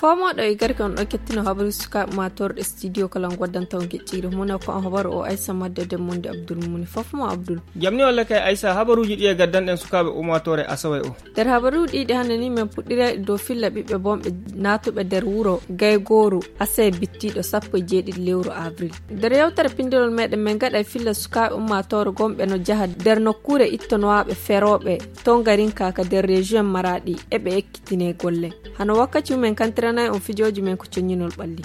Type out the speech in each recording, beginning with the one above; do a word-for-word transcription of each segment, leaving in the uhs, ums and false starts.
Fomoɗo e garki on ɗo kettino habaru sukaaɓe ma torɗe studio kala on goddanta on gecciri mune ko on habaru o aysa madde demmundi abdul muni fof mo abdul. Jamni walla kay aysa habaruji ɗi e gaddanɗen sukaaɓe ummatore asawe o. Nder habaruji ɗiɗi hannde ni men puɗɗirayɗe dow filla ɓiɓɓe bonɓe naatuɓe nder wuro gaygooru asee bittiiɗo sappo e jeeɗiɗi lewru avril. Nder yewtere pinndolol meɗen men gaɗa e filla sukaaɓe ummaatoore gonɓe no njaha nder nokkuure ittonowaaɓe ferooɓe tongarinka ka nder région maraɗi eɓe ekkitine golle. Hano wakkati mumen kantiranay on fijooji men ko coññinol ɓalli.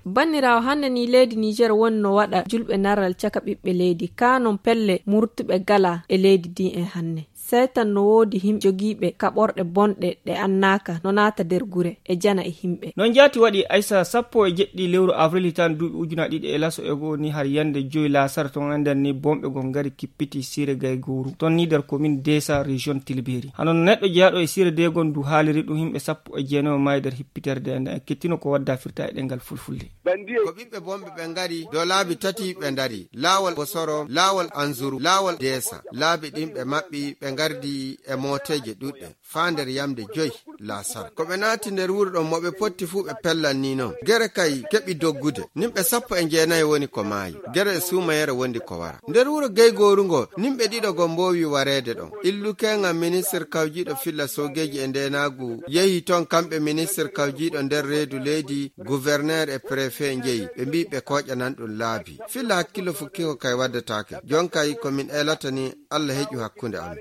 Banniraawo, hannde ni leydi Niger woni no waɗa julɓe naral caka ɓiɓɓe leydi, kaa non pelle murtuɓe gala e leydi ndi en hannde. Seytan no woodi him jogiiɓe kaɓorɗe bonɗe ɗe annaaka no naata nder gure e jana e himɓe. Non jaati waɗi aysa sappo e jeɗɗi lewru avril hitaande duuɓi ujunaaji ɗiɗi e laso e goo ni har yande joyi laasara ton ender ni bomɓe gon ngari kippiti sire gay gooru ton ni nder commune desa région tilberi. Hano no neɗɗo jeyaaɗo e sire degon du haaliri ɗum himɓe sappo e jeenayo maayi nder hippiterde e nden kettino ko wadda firta e ɗengal fulfulde. Ko ɓiɓɓe bonɓe ɓe ngari dow laabi tati ɓe ndari laawol bosoro laawol anzuru laawol desa laabi ɗin ɓe maɓɓi ɓe ngardi e mooteeje ɗuɗɗe faa nder yamde joyi laasara ko ɓe naati nder wuro ɗon mo ɓe potti fuu ɓe pellan ni non gere kay keɓi doggude nimɓe sappo e jeenayi woni ko maayi. Gere e suumayere wondi ko wara nder wuro geygooru ngo nimɓe ɗiɗo go mboowi wareede ɗon. Illukeŋa ministir kawjiiɗo filla soogeeji e ndeenaagu yehi ton kamɓe ministir kawjiiɗo nder reedu leydi guverneer e prefe njeyi ɓe mbi ɓe kooƴanan ɗum laabi filla hakkillo fukki ko kay waddataake. Jon kay ko min eelata ni allah heƴu hakkunde amin.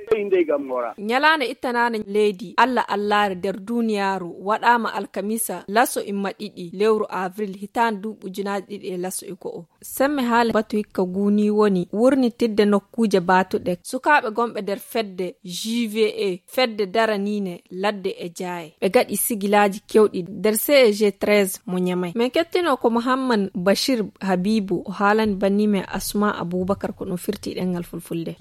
Ñalaande ittanaande leydi allah allaare nder duniyaaru waɗaama alkamisa laso imma ɗiɗi lewru avril hitaande duuɓi ujunaaji ɗiɗi e laso e go'o. Semme haala batu hikka guni woni wurnitidde nokkuuje baatuɗe sukaaɓe gonɓe nder fedde juve fedde daraniine ladde e jaaye ɓe gaɗi sigilaaji kewɗi nder ceg treize mo ñamay. Min kettino ko muhammad bashir habibu o haalani bannimen asma abubakar ko ɗum firti ɗengal fulfulde.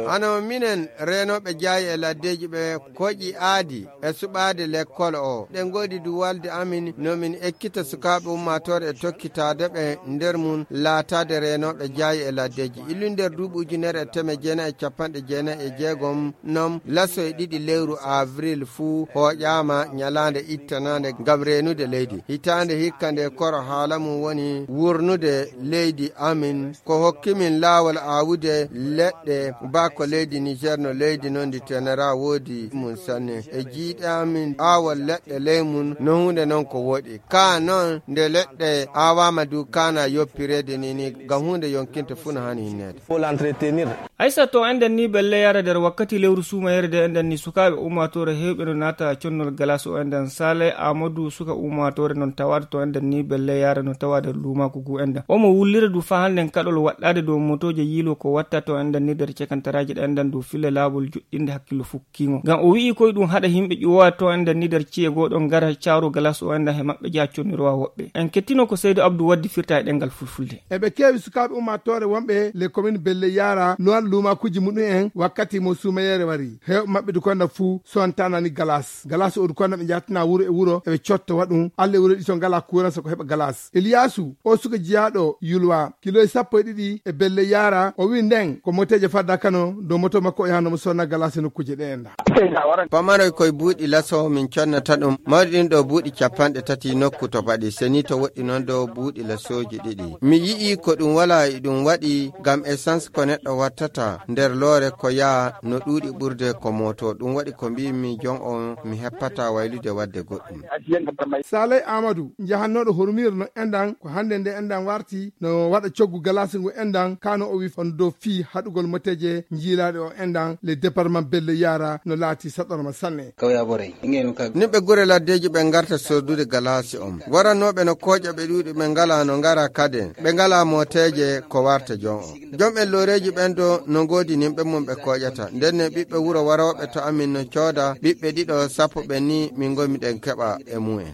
Hano minen reenooɓe jaayi e laddeeji ɓe koƴi aadi e suɓaade lekkol o ɗe ngoɗi du walde amin no min ekkita sukaaɓe ummaatoore e tokkitaade ɓe nder mum laataade reenooɓe jaayi e laddeeji illu nder duuɓi ujunere e teme jeenayi e capanɗe jeenayi e jeegom non laso e ɗiɗi lewru avril fuu hooƴaama ñalaande ittanaande ngam reenude leydi hitaande hikka nde koro haala mum woni wurnude leydi amin ko hokki min laawol aawude leɗɗe baa ko leydi niger no leydi non ndi tenera woodi mum sanne e jiiɗe amin aawol leɗɗe ley mum no huunde non ko woɗi kaa non nde leɗɗe aawaama du kaana yoppireede ni ni ngam huunde yonkinta fuu no haani hinneede. Aysa to enden ni belle yara nder wakkati lewru suumayere de enden ni sukaaɓe ummaatoore heewɓe no naata connol galas o enden sale amadou suka ummaatoore non tawaade to enden ni belle yara no tawa nder luumaaku gu enden omo wullira du faa hannden kaɗol waɗɗaade dow motooje yiilo ko watta to enden ni nder cekantaraaji ɗe enden du fille laawol joɗɗinde hakkillo fukkiingo ngam o wi'i koye ɗum haɗa yimɓe ƴuwowa to enden ni nder ci'e goo ɗon ngara caaru galas o enden he maɓɓe jaa connirowaa woɓɓe en kettino ko seydo abdou waddi firta e ɗengal fulfulde. Eɓe keewi sukaaɓe ummaatoore wonɓe les communes belle yaara noon luumaakuuji muɗum en wakkati mo suumayeere wari heewɓe maɓɓe du konda fuu sontanani galas galas o du konda ɓe njattina wuro e wuro eɓe cotta waɗum alle wuro ɗi to ngala kuuran so ko heɓa galas iliyasu o suka jiyaaɗo yulwa kiloji sappo e ɗiɗi e belle yaara o wi nden ko moteeje fadda kano dow moto makko o yaha nomo sonna galas e nokkuuje ɗe enda. Pamaroy koye buuɗi laso min connata ɗum mawɗi ɗin ɗo buuɗi capanɗe tati nokku to baɗi seni to woɗɗi noon dow buuɗi lasooji ɗiɗi mi yi'i ko ɗum wala e ɗum waɗi ngam essence ko neɗɗo wattata nder loore ko yaa no ɗuuɗi ɓurde ko moto ɗum waɗi ko mbimi jon on mi heppata waylude wadde goɗɗum. Saley amadou njahannooɗo hormir no endan ko hannde nde endan warti no waɗa coggu galasi ngu endan kano o wi on dow fii haɗugol moteje njiilaaɗe o endan le département belle yaara no laati saɗorma sanne. Nimɓe gure laddeeji ɓe ngarta soodude galaasi on waranooɓe no kooƴa ɓe ɗuuɗi ɓe ngalaa no ngara kaden ɓe ngalaa mooteeje ko warta jon on jom en looreeji ɓen ɗo No ngoodi nimɓe mum ɓe kooƴata. Nden ne ɓiɓɓe wuro warooɓe to amin no cooda ɓiɓɓe ɗiɗo sappo ɓe ni min ngomi ɗen keɓa e mumen.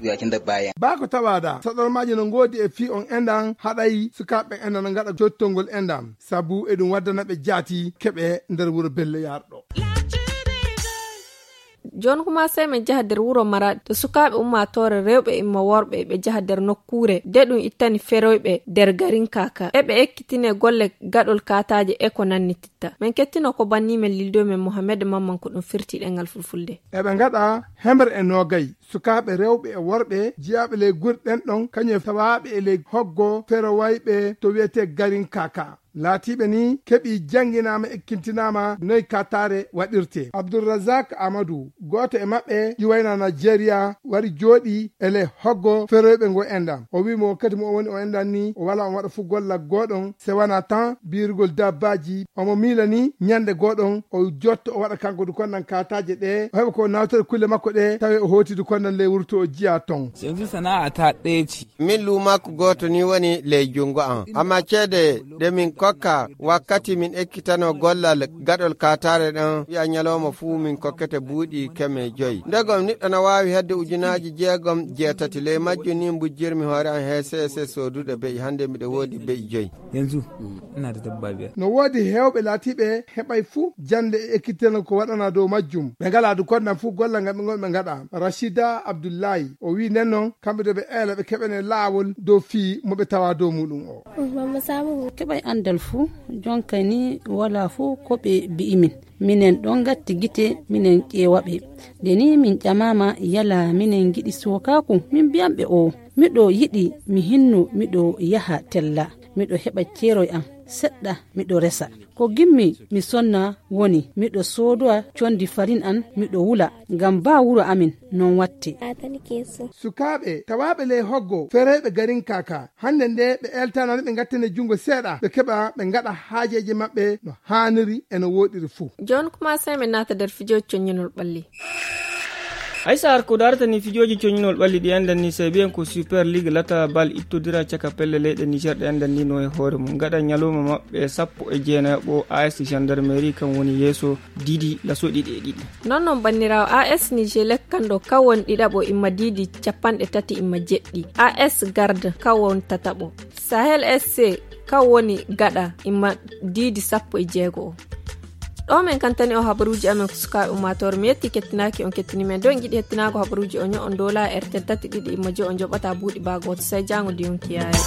Baa ko tawaada, saɗormaaji no ngoodi e fii on enɗan haɗay sukaaɓe enɗan no ngaɗa jottongol enɗan. Sabu eɗum waddana ɓe jaati keɓe nder wuro Belle Yarɗo. Jooni kuma sey min njaha nder wuro Maraɗi to sukaaɓe ummaatoore rewɓe imma worɓe ɓe njaha nder nokkuure de ɗum ittani feroyɓe nder garin Kaka. Eɓe ekkitine golle gaɗol kaataaje e ko nannititta. Min kettino ko banni men lildo men Mohamed Mamman ko ɗum firti ɗengal Fulfulde. Eɓe ngaɗa hemre e noogay sukaaɓe rewɓe e worɓe jiyaaɓe ley gure ɗen ɗon, kañum e tawaaɓe e ley hoggo ferowayɓe to wiyetee garin Kaka. Laatiiɓe ni keɓi jannginaama, ekkintinaama noy kaataare waɗirtee. Abdulrazak Amadou, gooto e maɓɓe ƴiwayna Najeriya, wari jooɗi e ley hoggo feroyɓe ngo enɗan. O wi'i mo wakkati mo o woni o enɗan ni, o wala on waɗa fuu golla gooɗon, se wana tan biirugol dabbaaji. Omo miila ni ñannde gooɗon o jotto o waɗa kanko du konnan kaataaje ɗe, o heɓa ko nawtata kulle makko ɗe, tawi o hooti du konnan ley wurto o jiya ton. Yanzu sana'a ta ɗaya ce. Min luumaaku gooto ni woni ley junngo am. Amma ceede ɗe min kokka wakkati min ekkitano gollal gaɗol kaataare ɗen, wi'a ñalooma fuu min kokkete buuɗi keme joyi. Ndegom niɗɗo na waawi hedde ujunaaji jeegom, jeetati. Ley majjum ni mbujjirmi hoore am he C S S soodude be'i. Hannde miɗo woodi be'i joyi. Yanzu, ina da dabba biyar. No woodi heewɓe laatiiɓe heɓay fuu jannde e ekkitano ko waɗana dow majjum. Ɓe ngalaa du konnan fuu golla ngal ɓe ngon ɓe ngaɗa. Rashida Abdullahi, o wi'i nden non, kamɓe do ɓe eela ɓe keɓane laawol dow fii mo ɓe tawa dow muɗum o. Keɓay anndal fuu, jonka ni wala fuu ko ɓe bi'i min. Minen ɗon ngatti gite, minen ƴeewa ɓe. Nde ni min ƴamaama yala minen ngiɗi sookaaku, min mbi'an ɓe o, miɗo yiɗi mi hinnu, miɗo yaha tella, miɗo heɓa ceeroy am seɗɗa, miɗo resa. Ko gimmi mi sonna woni miɗo soodowa condi farin an, miɗo wula, ngam baa wuro amin non watte. Sukaaɓe tawaaɓe ley hoggo fereeɓe garin Kaka, hannde nde ɓe eltanaani ɓe ngattane junngo seeɗa, ɓe keɓa ɓe ngaɗa haajeeji maɓɓe no haaniri e no wooɗiri fuu. Jooni kuma sey min naata nder fijooji coññinol ɓalli. Haysa har ko darata ni fijooji coñinol ɓalli ɗi anndan ni, sey mbiyen ko Super League lata bal ittodira caka pelle leyɗe Niger ɗe anndan ni no e hoore mum. Gaɗa ñalawma maɓɓe sappo e jeenayaɓo, A S Gendarmerie kan woni yeeso, diidi laso ɗiɗi e ɗiɗi. Non non banniraawo, A S Niger lekkanɗo kan woni ɗiɗaɓo imma diidi capanɗe tati imma jeɗɗi. A S Garde kan woni tataɓo. Sahel S C kan woni gaɗa imma diidi sappo e jeego o. Ɗo min kantani o habaruuji amen ko sukaaɓe ummaatoore. Mi yetti kettinaaki on kettini men. Ɗo en ngiɗi hettinaago habaruuji o ño'on dow laayi R T L tati ɗiɗi imma joy o joɓata buuɗi baa gooto. Sey jaango nde yonki yaari.